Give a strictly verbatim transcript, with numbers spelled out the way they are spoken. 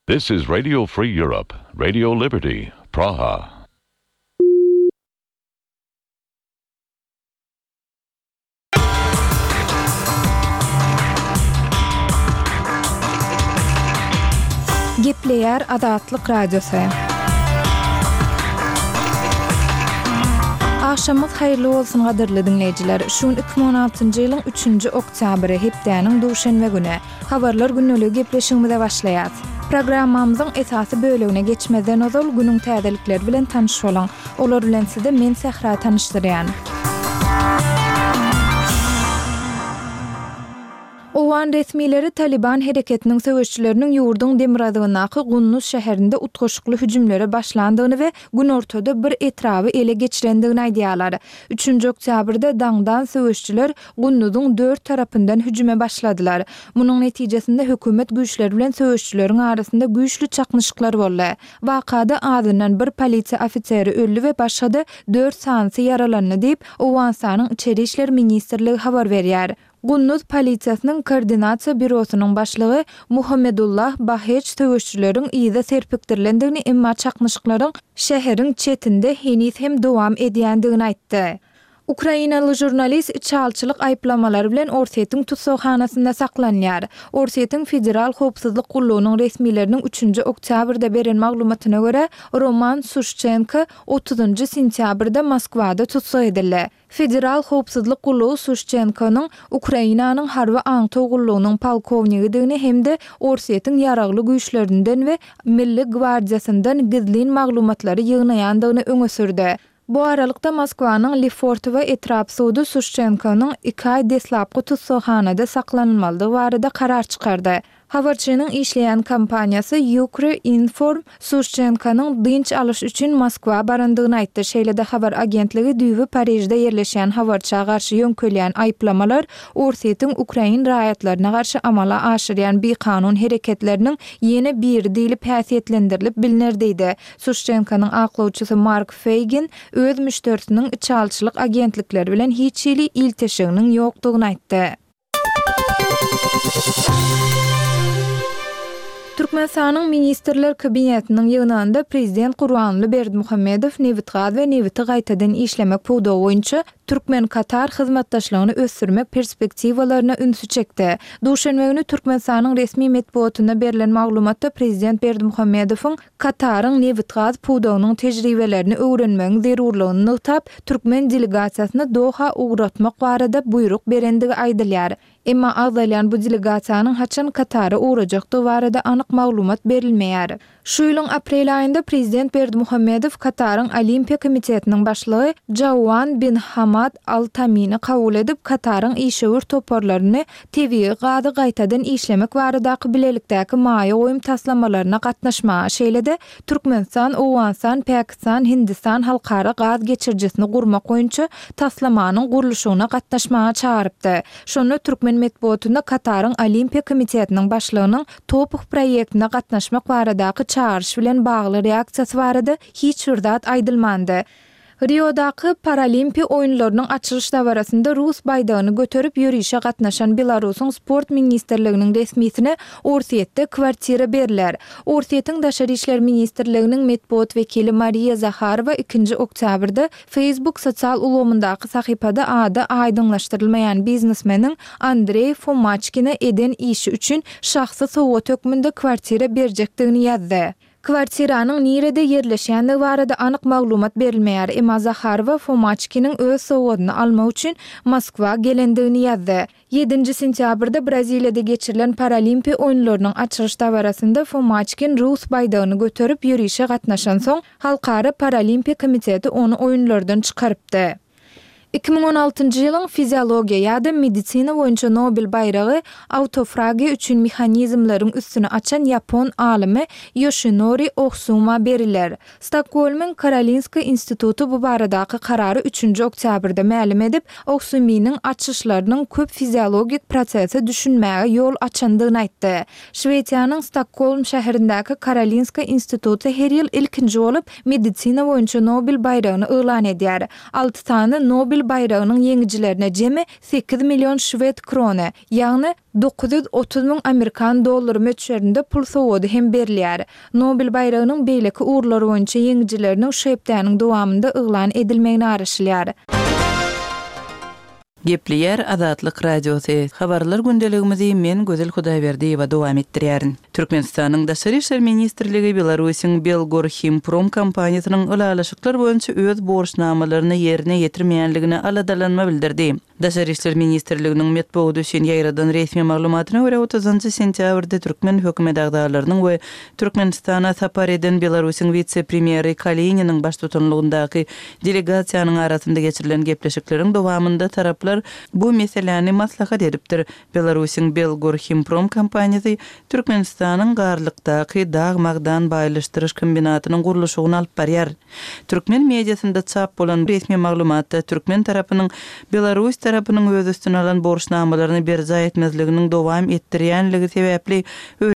This is Radio Free Europe, Radio Liberty, Praha. Gepleýär Azatlyk Radiosy. Agşamyňyz haýyrly bolsun gadyrly diňleýjiler. Şu gün iki müň on altynjy ýylyň üçünji oktýabry, hepdäniň duşenbe güni. Habarlar gündeligi gepleşigimize başlaýas. Programmamyzyň esasy bölegine geçmezden ozal günüň täzelikleri bilen tanyş boluň. Olar bilen sizi men Sähra tanyşdyrýan. Owgan resmileri Taliban hereketiniň söweşçileriniň ýurduň demirgazygyndaky Gunduz şäherinde utgaşykly hüjümlere başlandygyny we günortada bir etraby ele geçirendigini aýdýarlar. Üçünji oktýabrda daňdan söweşçiler Gunduzyň dört tarapyndan hüjüme başladylar. Munuň netijesinde hökümet güýçleri bilen söweşçileriň arasynda güýçli çaknyşyklar boldy. Wakada azyndan bir polisiýa ofiseri öldi we başga-da dört sanysy ýaralandy diýip, Owganystanyň Içeri işler ministrligi habar berýär. Gunduz polisiýasynyň koordinasiýa býurosynyň başlygy Muhammedullah Baheç söweşçileriň yza serpikdirilendigini, emma çaknyşyklaryň şäheriň çetinde heniz hem dowam edýändigini aýtdy. Ukrainaly žurnalist içalçylyk aýyplamalary bilen Orsýetiň tussaghanasynda saklanýar. Orsýetiň Federal howpsuzlyk gullugynyň resmileriniň üçünji oktýabrda beren maglumatyna görä, Roman Suşçenko otuzynjy sentýabrda Moskwada tussag edildi. Federal howpsuzlyk gullugy Suşçenkonyň Ukrainanyň harby aňtaw gullugynyň polkownigidigini hem-de Orsýetiň ýaragly güýçlerinden we Milli gwardiýasyndan gizlin maglumatlary ýygnaýandygyny öňe sürdi. Bu aralykda Moskwanyň Lefortowo etrap sudy Suşçenkonyň iki aý deslapky tussaghanada saklanylmalydygy barada karar çykardy. Habarçynyň işleýän kompaniýasy Ukrinform Suşçenkonyň dynç alyş üçin Moskwa barandygyny aýtdy. Şeýle-de habar agentligi düýbi Parižde ýerleşýän habarça garşy ýöňkelýän aýyplamalar Orsýetiň ukrain raýatlaryna garşy amala aşyrýan bikanun hereketleriniň ýene biri diýlip häsiýetlendirilip bilner diýdi. Suşçenkonyň aklawçysy Mark Feýgin öz müşderisiniň içalçylyk agentlikleri bilen hiç hili ilteşiginiň ýokdugyny aýtdy. Türkmenistanyň Ministrler Kabinetiniň ýygnagynda Prezident Gurbanguly Berdimuhamedow nebitgaz we nebiti gaýtadan işlemek pudagy boýunça türkmen-katar hyzmatdaşlygyny ösdürmek perspektiwalaryna ünsi çekdi. Duşenbe güni Türkmenistanyň resmi metbugatynda berlen maglumatda Prezident Berdimuhamedowyň Kataryň nebitgaz pudagynyň tejribelerini öwrenmegiň zerurlygyny nygtap, türkmen delegasiýasyny Doha ugratmak barada buýruk berendigi aýdylýar. Emma agzalýan bu delegasiýanyň haçan Katara ugrajakdygy barada anyk maglumat berilmeýär. Şu ýylyň aprel aýynda Prezident Berdimuhamedow Kataryň Olimpiýa komitetiniň başlygy Jauan bin Hamad Al Tamini kabul edip, Kataryň işewür toparlaryny tebigy gazy gaýtadan işlemek baradaky bilelikdäki maýa goýum taslamalaryna gatnaşmaga, şeýle-de Türkmenistan, Owganystan, Pakistan, Hindistan halkara gaz geçirijisini gurmak boýunça taslamanyň gurluşygyna gatnaşmaga çagyrypdy. Şonda türkmen metbugatynda Kataryň Olimpiýa komitetiniň başlygynyň TOPH proýektine gatnaşmak baradaky çagyryş bilen bagly reaksiýasy barada hiç bir zat aýdylmandy. Riodaky Paralimpiýa oýunlarynyň açylyş dabarasynda rus baýdagyny göterip ýörişe gatnaşan Belarusyň sport ministrliginiň resmisine Orsýetde kwartira berler. Orsýetiň Daşary işler ministrliginiň metbugat wekili Mariýa Zaharowa ikinji oktýabrda Facebook sosial ulgamyndaky sahypada ady aýdyňlaşdyrylmaýan biznesmeniň Andreý Fomaçkine eden işi üçin şahsy sowgat hökmünde kwartira berjekdigini ýazdy. Kwartiranyň nirede ýerleşýändigi barada anyk maglumat berilmeýär, emma Zaharowa Fomaçkiniň öz sowgadyny almak üçin Moskwa gelendigini ýazdy. Ýedinji sentýabrda Braziliýada geçirilen Paralimpiýa oýunlarynyň açylyş dabarasynda Fomaçkin rus baýdagyny göterip ýörişe gatnaşansoň, Halkara Paralimpiýa komiteti ony oýunlardan çykarypdy. Iki müň on altynjy ýylyň fiziologiýa ýa-da medisina boýunça Nobel baýragy autofragiýa üçin mehanizmleriň üstüni açan ýapon alymy Ýoşinori Ohsuma beriler. Stokgolmyň Karolinska instituty bu baradaky karary üçünji oktýabrda mälim edip, Ohsuminiň açyşlarynyň köp fiziologik prosese düşünmäge ýol açandygyny aýtdy. Şwesiýanyň Stokgolm şäherindäki Karolinska instituty her ýyl ilkinji bolup medisina boýunça Nobel baýragyny yglan edýär. Alty sany Nobel baýragynyň ýeňijilerine jemi sekiz million şwed krony, ýagny dokuz ýüz otuz müň amerikan dollary möçberinde pul sowgady hem berilýär. Nobel baýragynyň beýleki ugurlar boýunça ýeňijileriniň şu hepdäniň dowamynda yglan edilmegine garaşylýar. Gepleýär Azatlyk Radiosy, Habarlar gündeligimizi men Gözel Hudaýberdiýewa dowam etdirýärin. Türkmenistanyň Daşary işler ministrligi Belarusyň Belgorhimprom kompaniýasynyň ylalaşyklar boýunça öz borçnamalaryny ýerine ýetirmeýänligine aladalanma bildirdi. Daşary işler ministrliginiň metbugat üçin ýaýradan resmi maglumatyna görä, otuzynjy sentýabrda türkmen hökümet agzalarynyň we Türkmenistana sapar eden Belarusyň wise-premýeri Kalininiň baştutanlygyndaky delegasiýanyň arasynda geçirilen gepleşikleriň dowamynda taraplar bu meseläni maslahat edipdir. Belarusyň Belgorhimprom kompaniýasy Türkmenistanyň Garlykdaky dag-magdan baýlaşdyryş kombinatynyň gurluşygyny alyp barýar. Türkmen mediasynda çap bolan resmi maglumatda türkmen tarapynyň belarus tarapynyň öz üstüne alan borçnamalaryny berjaý etmezliginiň dowam etdirýänligi sebäpli